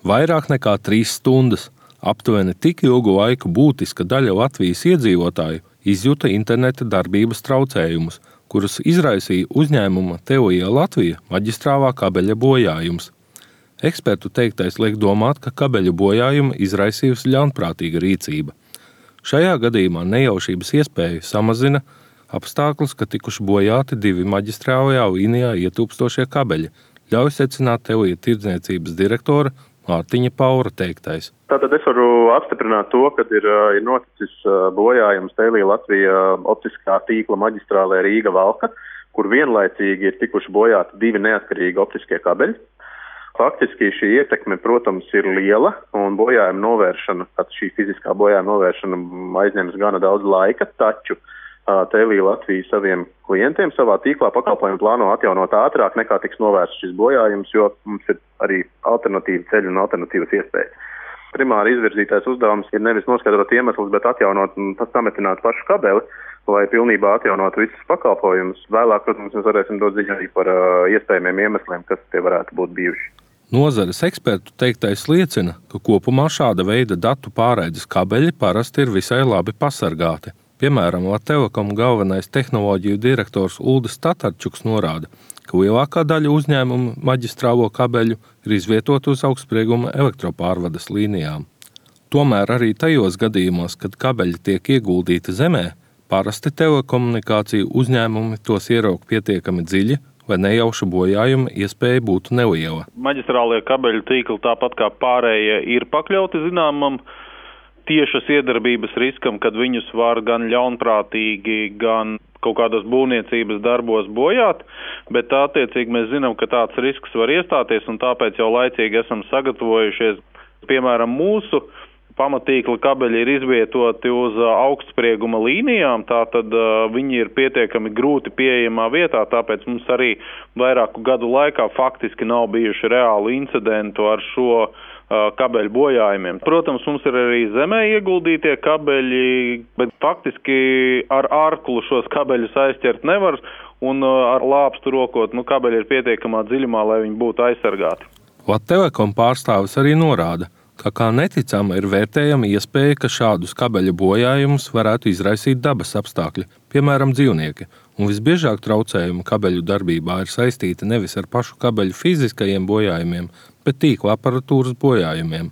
Vairāk nekā 3 stundas. Aptuveni tik ilgu laiku būtiska daļa Latvijas iedzīvotāju izjuta interneta darbības traucējumus, kurus izraisīja uzņēmuma Teoija Latvija maģistrālā kabeļa bojājums. Ekspertu teiktais liek domāt, ka kabeļu bojājumu izraisījusi ļaunprātīga rīcība. Šajā gadījumā nejaušības iespēju samazina apstākļus, ka tikuši bojāti 2 maģistrālajā līnijā ietūpstošie kabeļi, ļauj secināt Teoija tirdzniecības direktora Mārtiņa Paura teiktais. Tātad es varu apstiprināt to, ka ir noticis bojājums Teoija Latvija optiskā tīkla maģistrālē Rīga-Valka, kur vienlaicīgi ir tikuši bojāti 2 neatkarīgi optiskie kabeļi. Faktiski šī ietekme, protams, ir liela, un bojājuma novēršana, šī fiziskā bojājuma novēršana aizņems gana daudz laika, taču Teoija Latvija saviem klientiem savā tīklā pakalpojumu plāno atjaunot ātrāk nekā tiks novērsts šis bojājums, jo mums ir arī alternatīva ceļi un alternatīvas iespējas. Primāri izvirzītais uzdevums ir nevis noskaidrot iemeslus, bet atjaunot un sametināt pašu kabeli, lai pilnībā atjaunot visus pakalpojumus. Vēlāk, protams, mēs varēsim dot ziņu arī par iespējamiem iemesliem, kas tie varētu būt bijuši. Nozares ekspertu teiktais liecina, ka kopumā šāda veida datu pārraides kabeļi parasti ir visai labi pasargāti. Piemēram, Latelekom galvenais tehnoloģiju direktors Uldis Tatarčuks norāda, ka lielākā daļa uzņēmumu maģistrālo kabeļu ir izvietota uz augstsprieguma elektropārvades līnijām. Tomēr arī tajos gadījumos, kad kabeļi tiek ieguldīti zemē, parasti telekomunikāciju uzņēmumi tos ieraug pietiekami dziļi, lai nejauša bojājuma iespēja būtu neliela. Maģistrālie kabeļu tīkli tāpat kā pārējie ir pakļauti zināmam tiešas iedarbības riskam, kad viņus var gan ļaunprātīgi, gan kaut kādos būvniecības darbos bojāt, bet attiecīgi mēs zinām, ka tāds risks var iestāties, un tāpēc jau laicīgi esam sagatavojušies. Piemēram, mūsu pamatīkla kabeļi ir izvietoti uz augstsprieguma līnijām, tātad viņi ir pietiekami grūti pieejamā vietā, tāpēc mums arī vairāku gadu laikā faktiski nav bijuši reāli incidentu ar šo kabeļu bojājumiem. Protams, mums ir arī zemē ieguldītie kabeļi, bet faktiski ar ārklu šos kabeļus aizķert nevar, un ar lāpstu rokot, kabeļi ir pietiekamā dziļumā, lai viņi būtu aizsargāti. Latelekom pārstāvis arī norāda, ka kā neticama ir vērtējama iespēja, ka šādus kabeļu bojājumus varētu izraisīt dabas apstākļi, piemēram, dzīvnieki, un visbiežāk traucējumi kabeļu darbībā ir saistīti nevis ar pašu kabeļu fiziskajiem bojājumiem, bet tīkla aparatūras bojājumiem.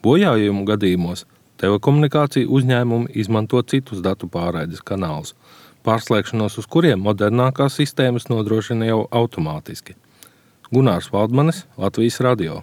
Bojājumu gadījumos telekomunikāciju uzņēmumi izmanto citus datu pārraides kanālus, pārslēgšanos uz kuriem modernākās sistēmas nodrošina jau automātiski. Gunārs Valdmanis, Latvijas radio.